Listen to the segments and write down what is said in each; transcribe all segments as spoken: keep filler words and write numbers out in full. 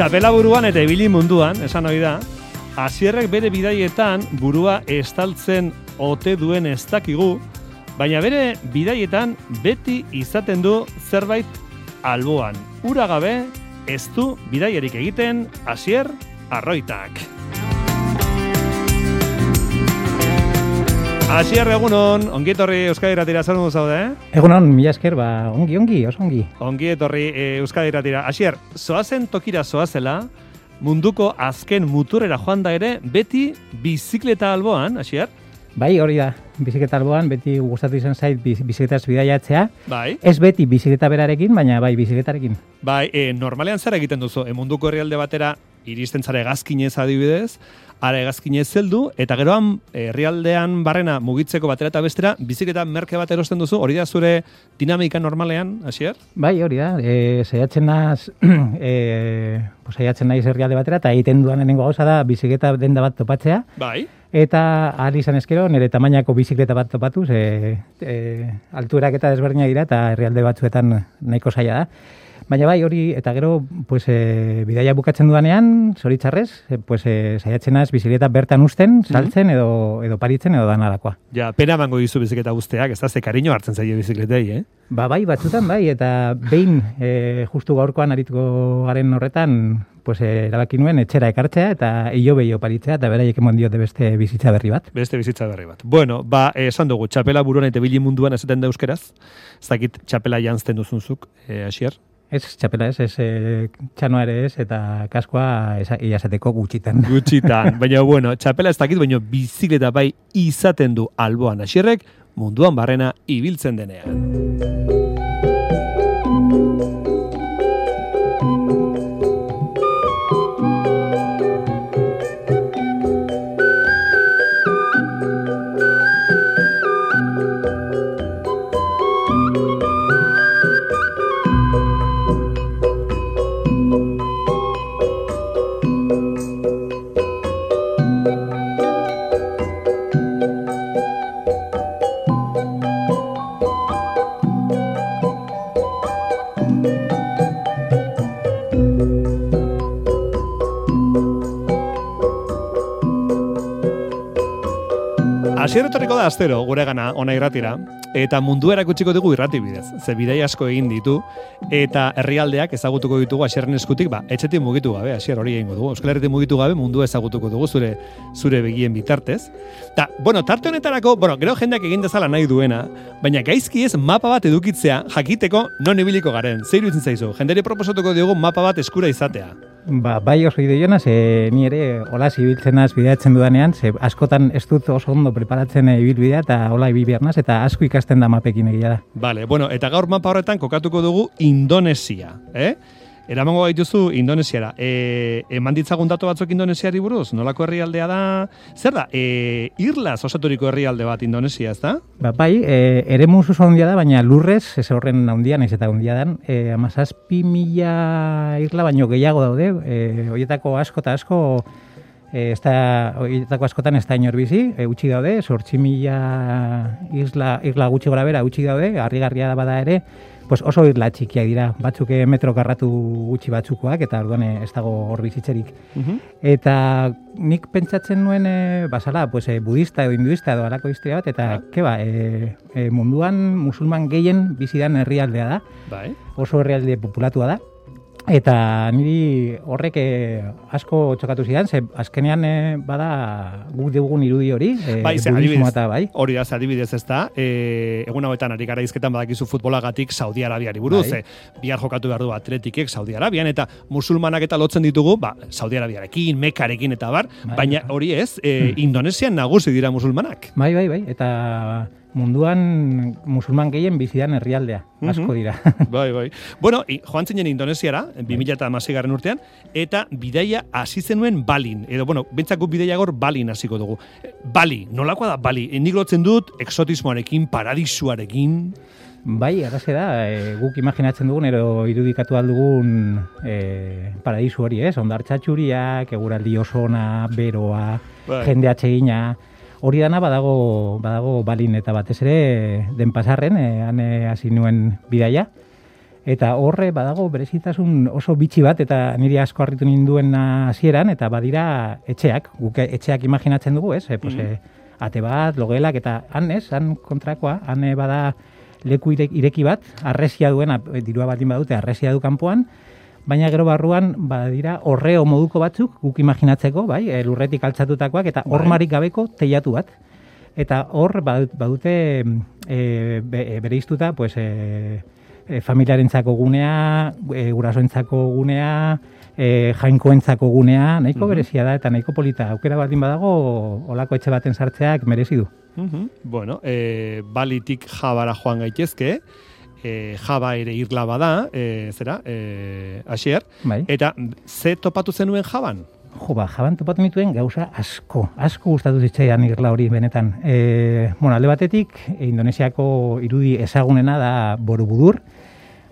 Txapela buruan eta ibili munduan, esan hori da, Asierrek bere bidaietan burua estaltzen ote duen ez dakigu, baina bere bidaietan beti izaten du zerbait alboan. Ura gabe ez du bidaiarik egiten Asier Arroitak. Asier, egunon, ongi etorri Euskadi Irratira, zer modu zaude, eh? Egunon, mila esker, ba, ongi, ongi, oso ongi. Ongi etorri e, Euskadi Irratira. Asier, zoazen tokira zoazela, munduko azken muturrera joan da ere, beti bizikleta alboan, Asier? Bai, hori da, bizikleta alboan, beti gustatu izan zait bizikletaz bidaiatzea. Bai. Ez beti bizikleta berarekin, baina bai bizikletarekin. Bai, e, normalean zer egiten duzu, e, munduko herrialde batera, iristen zara hegazkinez adibidez, ara hegazkinez zeldu, eta geroan herrialdean barrena mugitzeko batera eta bestera, bizikleta merke bat erosten duzu, hori da zure dinamika normalean, Asier? Bai, hori da, e, saiatzen naz, e, pues, saiatzen naiz herrialde batera, eta egiten duan lehenengo gauza da bizikleta denda bat topatzea. Bai. Eta ahal izan ezkero, nire tamainako bizikleta bat topatuz, e, e, altuerak eta desberdina dira, eta herrialde batzuetan nahiko zaila da. Baina bai, hori, eta gero, pues, e, bidaia bukatzen dudanean, zoritxarrez, e, pues, e, saiatzen naz bizikleta bertan usten, saltzen, edo, edo paritzen, edo danarakoa. Ja, pena emango dizu bizikleta guzteak, ez da ze kariño hartzen zaio bizikletei, eh? Ba, bai, batzutan bai, eta behin, e, justu gaurkoan arituko garen horretan, pues, e, erabaki nuen etxera ekartzea, eta hilo behio paritzea, eta beraiek emon diote beste bizitza berri bat. Beste bizitza berri bat. Bueno, ba, esan dugu, txapela buruan eta ibili munduan esaten da euskeraz, ez dakit txapela janzten duzunzuk, e, Asier? Ez, txapela ez, ez, e, txanoa ere ez, eta kaskoa iazateko gutxitan. Gutxitan, baina bueno, txapela ez dakit, baina bizikleta bai izaten du alboan Asierrek munduan barrena ibiltzen denean. Asier etorriko da astero gure gana ona irratira, eta mundu erakutsiko dugu irrati bidez. Ze bidai asko egin ditu, eta herrialdeak ezagutuko ditugu Asierren eskutik, ba, etxetik mugitu gabe, Asier hori egingo dugu. Euskal Herritik mugitu gabe mundu ezagutuko dugu zure zure begien bitartez. Ta, bueno, tarte honetarako, bueno, gero jendeak egin dezala nahi duena, baina gaizki ez mapa bat edukitzea jakiteko non ibiliko garen. Zer iruditzen zaizu? Jenderi proposatuko diogu mapa bat eskura izatea. Ba, bai oso ideiona, ze ni ere hola ibiltzen naz bideatzen dudanean, ze askotan ez dut oso ondo preparatzen ibilbidea eta hola ibil behar naz, eta asko ikasten da mapekin egia da. Vale, bueno, eta gaur mapa horretan kokatuko dugu Indonesia, eh? Eramango gaituzu Indonesiara. E, eman ditzagun datu batzuk Indonesiari buruz? Nolako herrialdea da? Zer da? E, irlaz osaturiko herrialde bat Indonesia, ez da? Ba, bai, e, ere musu handia da, baina lurrez, ez horren handia, naiz eta handia dan, e, amazazpi mila irla baino gehiago daude, e, horietako asko eta asko, e, ez da, horietako askotan ez da inor bizi, e, utzi daude, zortzi mila isla, irla gutxi gora bera utzi daude, harrigarria da bada ere, pues oso irla txikiak dira, batzuk metro karratu gutxi batzukoak, eta orduan ez dago hor bizitzerik. Uh-huh. Eta nik pentsatzen nuen, e, basala, pues, e, budista edo hinduista edo alako historia bat, eta, uh-huh. keba, e, e, munduan musulman gehien bizidan herrialdea da, bai. Oso herrialde populatua da, eta niri horrek e, asko txokatu zidan, ze azkenean e, bada guk dugun irudi hori, e, bai, budismo eta bai. Hori da, adibidez ez da, e, egun hauetan ari gara izketan badakizu futbolagatik Saudi Arabiari buruz, bai. e, bihar jokatu behar du atletikek Saudi Arabian, eta musulmanak eta lotzen ditugu, ba, Saudi Arabiarekin, Mekarekin eta bar, bai, baina hori ez, e, hmm. Indonesian nagusi dira musulmanak. Bai, bai, bai, eta munduan musulman gehien bizidan herrialdea, asko dira. Bai, bai. Bueno, joan zinen Indonesiara, bi mila hamaseigarren urtean, eta bidaia hasi zenuen Balin. Edo, bueno, bentsako bidaia gor Balin hasiko dugu. Bali, nolakoa da Bali? Nik lotzen dut, exotismoarekin, paradisuarekin. Bai, arraze da, e, guk imaginatzen dugun, ero irudikatu aldugun e, paradisu hori, ez? Ondartxatxuriak, eguraldi osona, beroa, bai. Jende atsegina. Hori dana badago, badago Balin eta batez ere den pasarren, e, han hasi nuen bidaia. Eta horre badago berezitasun oso bitxi bat, eta niri asko harritu ninduen hasieran, eta badira etxeak, guk etxeak imaginatzen dugu, ez? E, pues, mm. e, ate bat, logelak, eta han, ez? Han kontrakoa, han bada leku ireki bat, arresia duen, dirua batin badute, arresia du kanpoan, baina gero barruan badira horreo moduko batzuk, guk imaginatzeko, bai, e, lurretik altzatutakoak, eta hormarik gabeko teilatu bat. Eta hor badute e, be, bere iztuta, pues, e, E, familiarentzako gunea, e, gurasoentzako gunea, e, jainkoentzako gunea, nahiko uh-huh. berezia da eta nahiko polita. Aukera batin badago, olako etxe baten sartzeak merezi du. Uh-huh. Bueno, e, balitik Jabara joan gaitezke, e, Jaba ere irla bada, e, zera, e, Asier, bai. Eta ze topatu zenuen Jaban? Jo, ba, Jaban topatu nituen gauza asko, asko gustatu zitzaidan irla hori benetan. E, bueno, alde batetik, Indonesiako irudi ezagunena da Borobudur,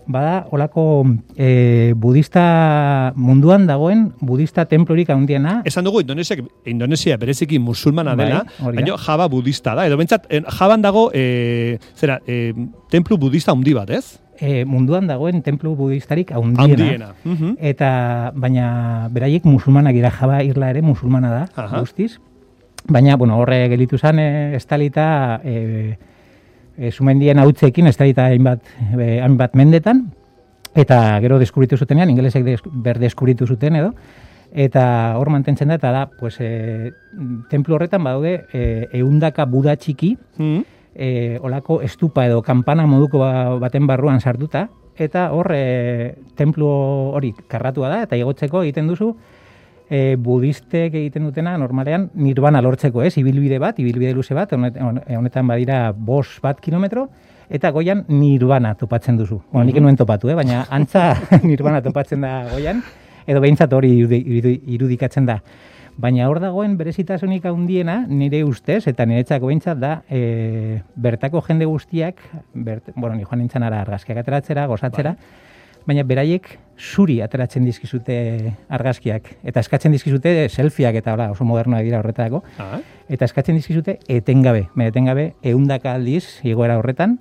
bada olako e, budista munduan dagoen budista templorik handiena. Esan dugu Indonesia, Indonesia bereziki musulmana dela, bai, baina Jaba budista da. Edo bentsat, Jaban dago e, zera, e, templu budista handi bat, ez? E, munduan dagoen templu budistarik handiena. Handiena. Uh-huh. Eta, baina beraiek musulmanak dira, Jaba irla ere musulmana da, uh-huh. guztiz. Baina, bueno, horre gelitu zen, e, estalita... E, E, sumendien hautzekin, ez da hainbat, e, hainbat mendetan, eta gero deskubritu zutenean, ingelesek des, berdeskubritu zuten edo, eta hor mantentzen da, eta da, pues, e, templu horretan badaude, e, eundaka buda txiki, mm. e, olako estupa edo kanpana moduko baten barruan sartuta, eta hor, e, templu hori karratua da, eta igotzeko egiten duzu, E, budistek egiten dutena normalean nirvana lortzeko, ez? Ibilbide bat, ibilbide luze bat, honetan badira bos bat kilometro, eta goian nirvana topatzen duzu. Bueno, nik nuen topatu, eh? Baina antza nirvana topatzen da goian, edo behintzat hori irudikatzen da. Baina hor dagoen berezitasunik handiena nire ustez, eta niretzako behintzat da, e, bertako jende guztiak, bert, bueno, ni joan nintzen ara argazkiak ateratzera, gozatzera, bai. Baina beraiek zuri ateratzen dizkizute argazkiak. Eta eskatzen dizkizute selfieak eta hola, oso modernoak dira horretarako. Ah. Eta eskatzen dizkizute etengabe. Etengabe ehundaka aldiz igoera horretan.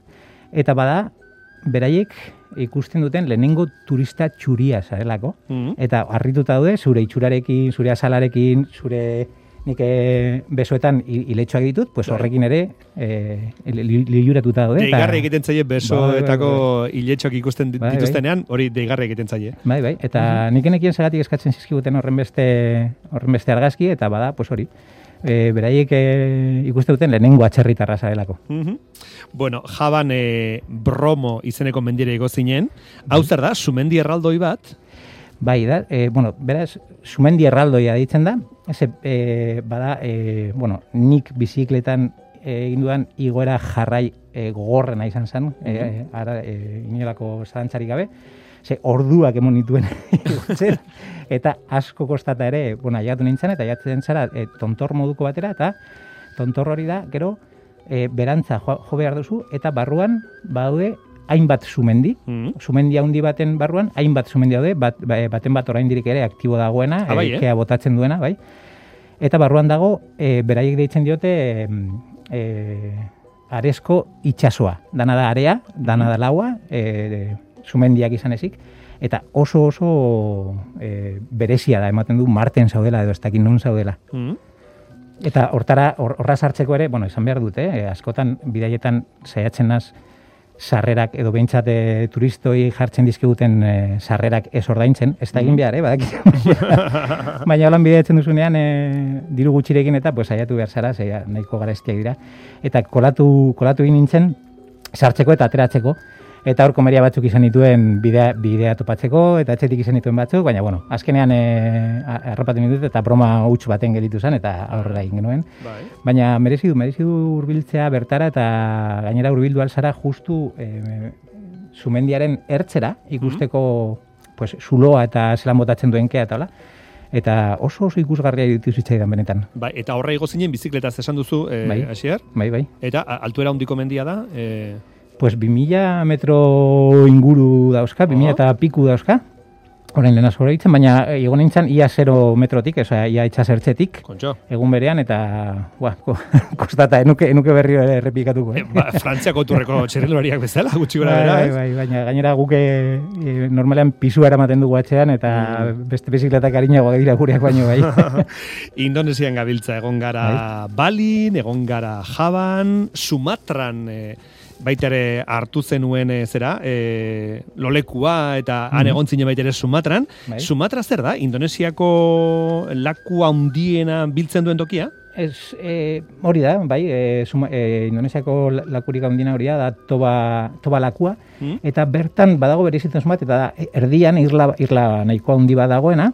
Eta bada, beraiek ikusten duten lehenengo turista txuria zarelako. Mm-hmm. Eta harrituta daude, zure itxurarekin, zure azalarekin, zure... nik besoetan iletxoak ditut, pues horrekin ere e, liluratuta daude. Deigarri egiten zaie besoetako iletxoak ikusten dituztenean, hori deigarri egiten zaie. Bai, bai, eta uh-huh. nik enekien zagatik eskatzen zizkiguten horren beste, horren beste argazki, eta bada, pues hori, e, beraiek e, ikusten duten lehenengo atxerritarra zarelako. Uh-huh. Bueno, Jaban e, Bromo izeneko mendire igo zinen, hau zer da, sumendi erraldoi bat? Bai, da, e, bueno, beraz, sumendi erraldoia ditzen da, ez, e, bada, e, bueno, nik bizikletan egin dudan igoera jarrai e, gogorrena izan zen, mm-hmm. e, ara, e, inolako zalantzarik gabe, ze orduak emon nituen igotzen, eta asko kostata ere, bueno, aiatu nintzen, eta aiatzen zara e, tontor moduko batera, eta tontor hori da, gero, e, berantza jo, jo behar duzu, eta barruan badaude hainbat sumendi, mm-hmm. sumendi handi baten barruan, hainbat sumendi daude, bat, baten bat oraindik ere aktibo dagoena, ah, bai, eh? Kea botatzen duena, bai. Eta barruan dago, e, beraiek deitzen diote, e, aresko itsasoa. Dana da area, dana da laua, e, sumendiak izan ezik, eta oso oso e, berezia da, ematen du Marten zaudela, edo ez dakit nun zaudela. Mm-hmm. Eta hortara, horra sartzeko ere, bueno, izan behar dute, eh? Askotan, bidaietan saiatzen naz, sarrerak edo behintzat e, turistoi jartzen dizkiguten e, sarrerak ez ordaintzen, ez da egin behar, eh, badak. Baina holan bideatzen duzunean e, diru gutxirekin eta pues saiatu behar zara, zeia, nahiko garestiak dira. Eta kolatu, kolatu egin nintzen sartzeko eta ateratzeko, eta hor komeria batzuk izan dituen bidea, bidea topatzeko, eta etxetik izan dituen batzuk, baina bueno, azkenean e, arrapatu ditut eta broma huts baten gelitu zen, eta aurrera egin genuen. Bai. Baina merezi du, merezi du hurbiltzea bertara, eta gainera hurbildu alzara justu e, sumendiaren ertzera, ikusteko mm-hmm. pues, zuloa eta zelan botatzen duen kea eta hola. Eta oso oso ikusgarria ditu zitzaidan benetan. Bai, eta horra igo zinen bizikletaz esan duzu, e, bai. Asier? Bai, bai. Eta altuera handiko mendia da? E... Pues bi mila metro inguru dauzka, bi mila eta piku dauzka. Horein lehen asko ditzen, baina egon nintzen ia zero metrotik, oza, ia itxasertzetik, Kontxo. egun berean, eta, bua, ko, kostata, enuke, enuke berri ere errepikatuko. Eh? E, ba, Frantziako turreko txirrindulariak bezala, gutxi gora bera, bai, ez? bai, baina gainera guke e, normalean pisua eramaten dugu atxean, eta mm. beste bizikletak harinago dira gureak baino bai. Indonesian gabiltza, egon gara bai. Balin, egon gara Jaban, Sumatran, e, baita ere hartu zenuen e, zera, e, lolekua eta mm. han egon zinen baita ere Sumatran. Bai. Sumatra zer da? Indonesiako laku handiena biltzen duen tokia? Ez, e, hori da, bai, e, suma, e, Indonesiako lakurik handiena hori da, toba, toba lakua, mm. eta bertan badago berezitzen bat, eta da, erdian irla, irla nahikoa handi bat dagoena,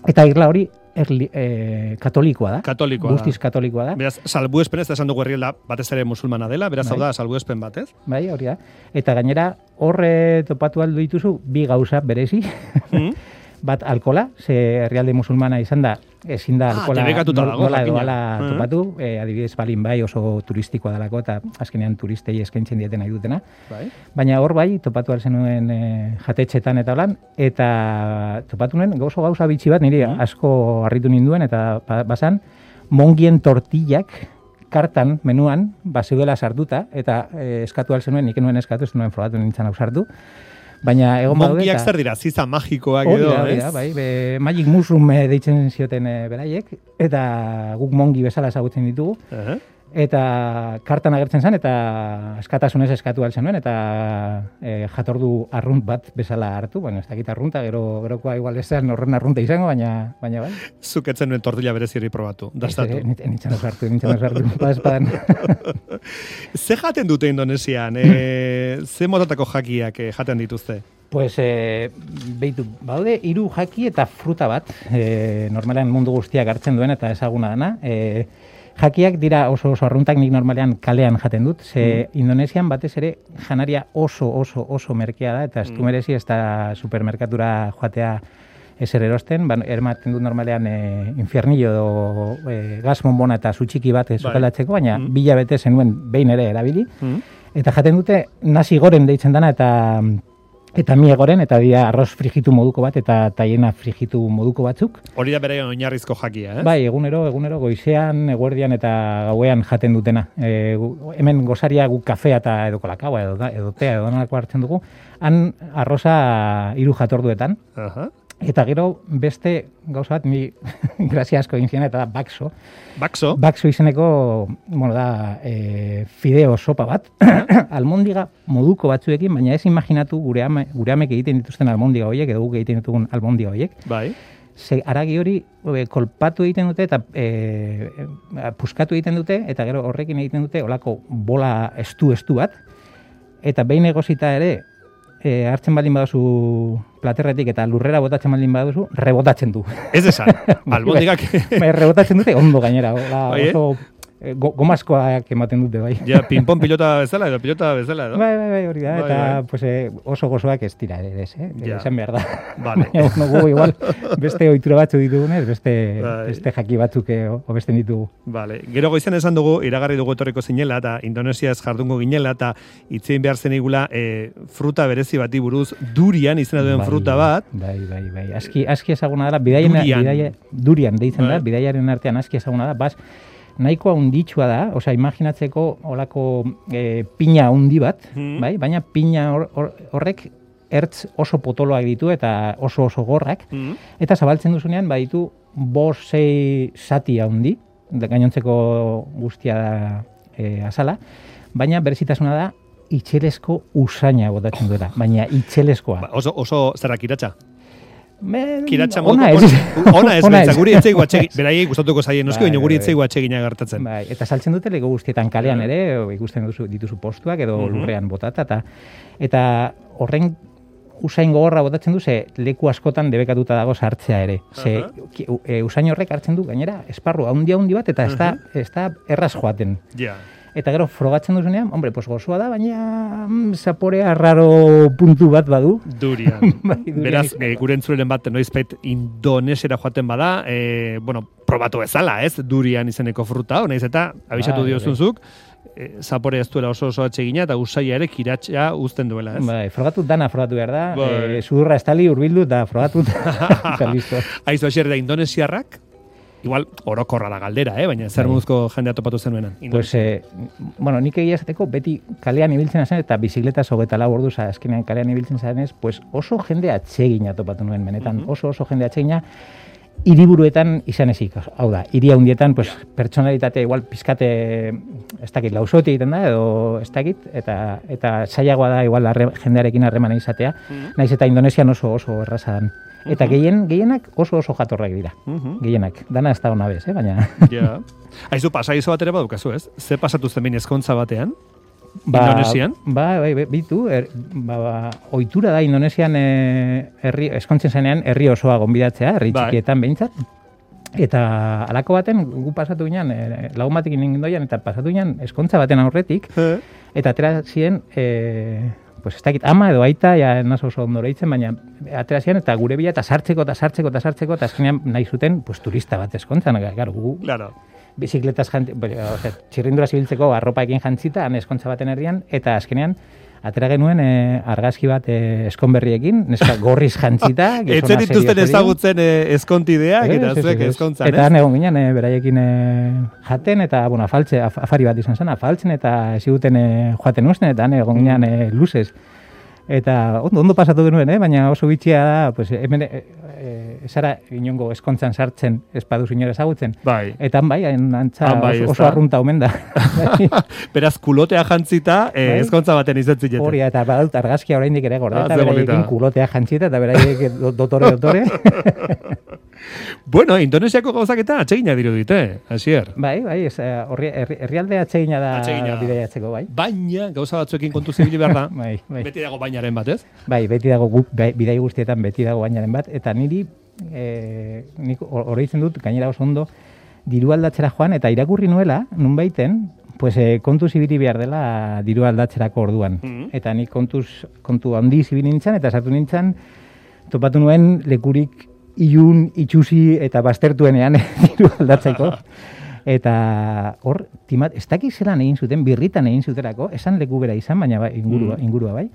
eta irla hori Erli, e, katolikoa da. Katolikoa Guztiz da. katolikoa da. Beraz, salbuespen ez da esan dugu herrialda batez ere musulmana dela, beraz, bai. Hau da, salbuespen bat, ez? Bai, hori da. Eta gainera, horre topatu aldo dituzu, bi gauza berezi. Mm. Bat, alkola, ze herrialde musulmana izan da, ezin da alkola ah, nola, nola edo ala uh-huh. topatu, e, adibidez Balin bai oso turistikoa dalako, eta azkenean turistei eskaintzen dieten nahi dutena. Bai. Baina hor bai, topatu alzenuen e, jatetxetan eta holan, eta topatu nuen gauza gauza bitxi bat, niri uh-huh. asko harritu ninduen, eta basan, mongien tortillak, kartan, menuan, bazeudela sartuta, eta e, eskatu alzenuen, nik nuen eskatu, ez nuen frogatu nintzen hau sartu, baina egon badaude. Mongiak zer dira, ziza magikoak edo, ez? Dira, bai, be, magic mushroom deitzen zioten e, beraiek, eta guk mongi bezala ezagutzen ditugu, uh-huh. eta kartan agertzen zen, eta eskatasunez eskatu altzen nuen, eta e, jatordu arrunt bat bezala hartu, bueno, ez dakit arrunta, gero, gerokoa igual ezean horren arrunta izango, baina, baina bai. Zuketzen nuen tortilla bereziri probatu, dastatu. Ez, nintzen osartu, nintzen osartu, badespadan. Ze jaten dute Indonesian? E, ze motatako jakiak e, jaten dituzte? Pues, e, behitu, baude, hiru jaki eta fruta bat, e, normalean mundu guztiak hartzen duen eta ezaguna dana, e, jakiak dira oso oso arruntak, nik normalean kalean jaten dut, ze mm. Indonesian batez ere janaria oso oso oso merkea da, eta ez du merezi ez da supermerkatura joatea ezer erosten, ba, ermaten dut normalean e, infiernillo edo e, gas monbona eta zutxiki bat sukalatzeko, baina mm. bila bete zenuen behin ere erabili, mm. eta jaten dute nasi gorem deitzen dana, eta eta mie goren, eta dira arroz frigitu moduko bat, eta taiena frigitu moduko batzuk. Hori da bere oinarrizko jakia, eh? Bai, egunero, egunero, goizean, eguerdian eta gauean jaten dutena. E, hemen gozaria guk kafea eta edo kolakaua, edo, edo tea, edo nolako hartzen dugu, han arroza hiru jatorduetan. Uh-huh. Eta gero beste gauza bat, ni grazia asko egin ziren, eta da bakso. Bakso? Bakso izeneko, bueno, da, e, fideo sopa bat, almondiga moduko batzuekin, baina ez imaginatu gure, ame, gure amek egiten dituzten almondiga horiek, edo guk egiten ditugun almondiga horiek. Bai. Ze aragi hori e, kolpatu egiten dute, eta e, e, puskatu egiten dute, eta gero horrekin egiten dute, olako bola estu-estu bat, eta behin egosita ere, E, hartzen baldin baduzu platerretik eta lurrera botatzen baldin baduzu, rebotatzen du. Ez esan, albondigak. Bai, rebotatzen dute ondo gainera. Ola, oso e, go, gomazkoak ematen dute, bai. Ja, ping-pong pilota bezala edo, pilota bezala edo. Bai, bai, bai, hori da. Bai, eta bai. Pues, e, oso gozoak ez dira, ez, eh? Ja. Esan behar da. Vale. Baina, no, gu, igual, beste ohitura batzu ditugunez, beste, bai. beste jaki batzuk hobesten ditugu. Vale. Gero goizen esan dugu, iragarri dugu etorriko zinela, eta Indonesia ez jardungo ginela, eta itzein behar zen igula, e, fruta berezi bati buruz, durian izena duen bai, fruta bat. Bai, bai, bai. Aski, aski ezaguna dela, bidaien, durian. Bidaia, durian deitzen bai. da, bidaiaren artean aski ezaguna da, bas, nahikoa unditsua da, osea, imaginatzeko olako e, pina hundi bat, mm. bai? Baina pina hor, hor, horrek ertz oso potoloak ditu eta oso oso gorrak, mm. eta zabaltzen duzunean baditu bost sei sati handi, gainontzeko guztia da e, azala, baina berezitasuna da itxelezko usaina botatzen duela, baina itxelezkoa. Ba, oso, oso zerrak iratxa? Men, Kiratxa ona ez. Ona ez, ona ez. Guri etzeigu atxegin, beraiei gustatuko zaien noski, baina guri etzeigu atxegina gertatzen. Bai, eta saltzen dute lego guztietan kalean ere, ikusten dituzu, dituzu postuak edo uh-huh. lurrean botata, eta, eta horren usain gogorra botatzen du, ze leku askotan debekatuta dago sartzea ere. Ze uh-huh. e, usain horrek hartzen du, gainera, esparru handi handi bat, eta ez da, uh-huh. ez da erraz joaten. Ja. Yeah. Eta gero frogatzen duzunean, hombre, pues gozoa da, baina mm, zaporea raro puntu bat badu. Durian. Bai, durian Beraz, e, gure entzuleren bat noizpait indonesera joaten bada, e, bueno, probatu ezala, ez? Durian izeneko fruta, honaiz eta abisatu bai, diozunzuk, e, zapore ez duela oso oso atsegina, eta usaia ere kiratxea uzten duela, ez? Bai, frogatu dana frogatu behar da, Bai. e, sudurra estali urbildu eta frogatu eta listo. Aizu, Asier, da indonesiarrak, igual orokorra da galdera, eh? Baina zer Bai. moduzko jendea topatu zenuenan. Pues, eh, bueno, nik egia esateko beti kalean ibiltzen zen eta bizikletaz hogeita lau orduz azkenean kalean ibiltzen zenez, pues oso jende atsegina topatu nuen benetan, Mhm. oso oso jende atsegina, hiriburuetan izan ezik, hau da, hiri handietan, pues, pertsonalitatea igual pizkate, ez dakit, lausoti egiten da, edo ez dakit, eta, eta zailagoa da igual arre, jendearekin harremana izatea, Mhm. naiz eta Indonesian oso oso erraza dan. Eta Mhm. gehien, gehienak oso oso jatorrak dira, Mhm. gehienak, dana ez da ona bez, eh? Baina... Ja. Aizu, pasaizo bat ere badukazu, ez? Ze pasatu zen behin ezkontza batean? Indonesian? Ba, bai, bai, bitu, er, ba, ba, ohitura da Indonesian e, herri, eskontzen zenean herri osoa gonbidatzea, herri Bai. txikietan behintzat. Eta halako baten gu pasatu ginen, e, lagun batekin indoian, eta pasatu ginen eskontza baten aurretik, Eh? eta atera ziren, e, pues ez dakit, ama edo aita, ja naso oso ondora itzen, baina atera ziren, eta gure bila eta sartzeko, eta sartzeko, eta sartzeko, eta azkenean nahi zuten, pues, turista bat eskontzan, claro, gu, Claro. bizikletaz jantzi, o sea, txirrindura zibiltzeko arropaekin jantzita, han eskontza baten herrian, eta azkenean, atera genuen e, argazki bat e, eskonberriekin, neska gorriz jantzita. Etzen dituzten ezagutzen e, eskontideak, eta zuek eskontzan, ez? Eta han egon ginen, e, beraiekin e, jaten, eta, bueno, afaltze, af, afari bat izan zen, afaltzen, eta eziguten e, joaten usten, eta han egon ginen e, luzez. Eta ondo, ondo pasatu genuen, eh? Baina oso bitxia da, pues, hemen e, e, zara inongo eskontzan sartzen espaduz inora ezagutzen. Bai. Eta han bai, han antza Han bai, oso, ez oso da? arrunta omen da. Beraz, kulotea jantzita, e, Bai. ezkontza baten izatzen Hori, eta badut argazkia oraindik ere gorde, Ah, eta ze beraiekin bonita. kulotea jantzita, eta beraiek do- dotore, dotore. Bueno, Indonesiako gauzak eta atsegina dirudite, Asier. Bai, bai, ez, eh, horri, herri, herrialde atsegina da Atsegina da. bidaiatzeko, bai. Baina, gauza batzuekin kontu zibili behar da. Bai, bai. Beti dago bainaren bat, ez? Bai, beti dago gu, bai, bidai guztietan beti dago bainaren bat, eta niri, e, nik oroitzen dut, gainera oso ondo, diru aldatzera joan, eta irakurri nuela, nunbaiten, pues, e, kontuz ibili behar dela diru aldatzerako orduan. Mhm. Eta nik kontuz, kontu handi ibili nintzen, eta sartu nintzen, topatu nuen lekurik ilun, itxusi eta baztertuenean diru aldatzeko. Eta hor, timat, ez dakik zelan egin zuten, birritan egin zuterako, esan leku bera izan, baina bai, ingurua, Mm. ingurua bai.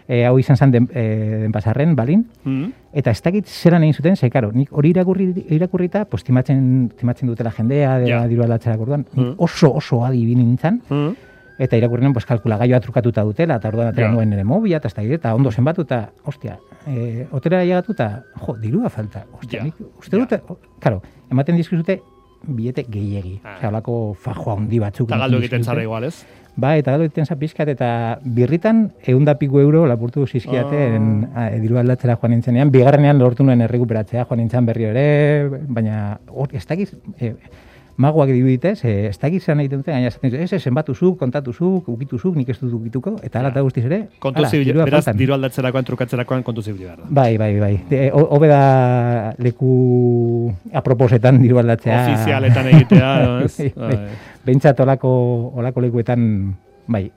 E, hau izan zen den, e, denpasarren, balin. Mm. Eta ez dakit zelan egin zuten, ze, karo, nik hori irakurri, irakurrita, pues, timatzen, timatzen dutela jendea, Ja. yeah. diru aldatzerak orduan, nik Mm. oso, oso adi ibili nintzen, Mm. eta irakurrinen, pues, kalkulagaioa trukatuta dutela, eta orduan atera Ja. nuen nire mobila, eta ez dakit, eta ondo zenbatu, eta, ostia, e, otera llegatu, eta, jo, dirua falta. Ostia, Ja. nik uste Ja. dute, karo, ematen dizkizute, bilete gehiegi. Ah. Osea, holako fajoa handi batzuk. Eta galdu ematen egiten dizkizute. zara igual, ez? Ba, eta galdu egiten za pizkat, eta birritan eunda piku euro lapurtu zizkiaten Ah. ah. diru aldatzera joan nintzenean. Bigarrenean lortu nuen errekuperatzea joan nintzen berriro ere, baina hor, ez dakiz, e, magoak diruditez, e, ez dakiz zelan egiten dute, gaina esaten dute, ez, ez, zenbatuzuk, kontatuzuk, ukituzuk, nik ez dut ukituko, eta hala Ja. eta guztiz ere, Kontu hala, zibili, dirua beraz, faltan. diru aldatzerakoan, trukatzerakoan kontu zibili behar da. Bai, bai, bai. De, ho- Hobe da leku aproposetan diru aldatzea. Ofizialetan egitea, edo, ez? Bai, bai. Bai. Behintzat olako, olako lekuetan, bai.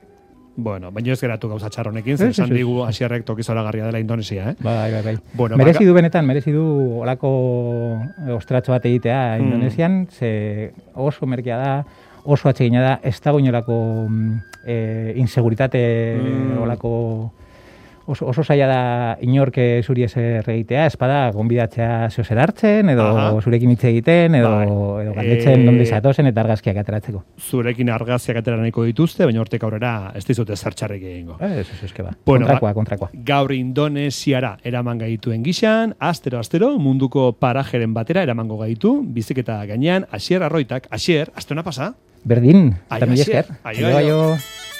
Bueno, baina ez geratu gauza txarronekin, Ez, zer ez, esan ez. digu Asierrek tokizoragarria dela Indonesia, eh? Bai, bai, bai. Bueno, merezi baka- du benetan, merezi du olako ostratxo bat egitea Mm. Indonesian, ze oso merkea da, oso atsegina da, ez dago inolako mm, e, inseguritate Mm. olako oso, oso zaila da inorke zuri ezer egitea, espada gonbidatzea zeo zer hartzen, edo Aha. zurekin hitz egiten, edo, Bai. edo galdetzen Eh, nondik zatozen eta argazkiak ateratzeko. Zurekin argazkiak atera nahiko dituzte, baina hortik aurrera ez dizute zertxarrik egingo. Ez, ez, ez, que ba. Bueno, kontrakoa, ba- kontrakoa. Gaur Indonesiara eraman gaituen gixan, astero astero munduko parajeren batera eramango gaitu, biziketa gainean, Asier Arroitak, Asier, astona pasa? Berdin, Aio, eta mila Asier. esker. Aio, Aio, aio. aio.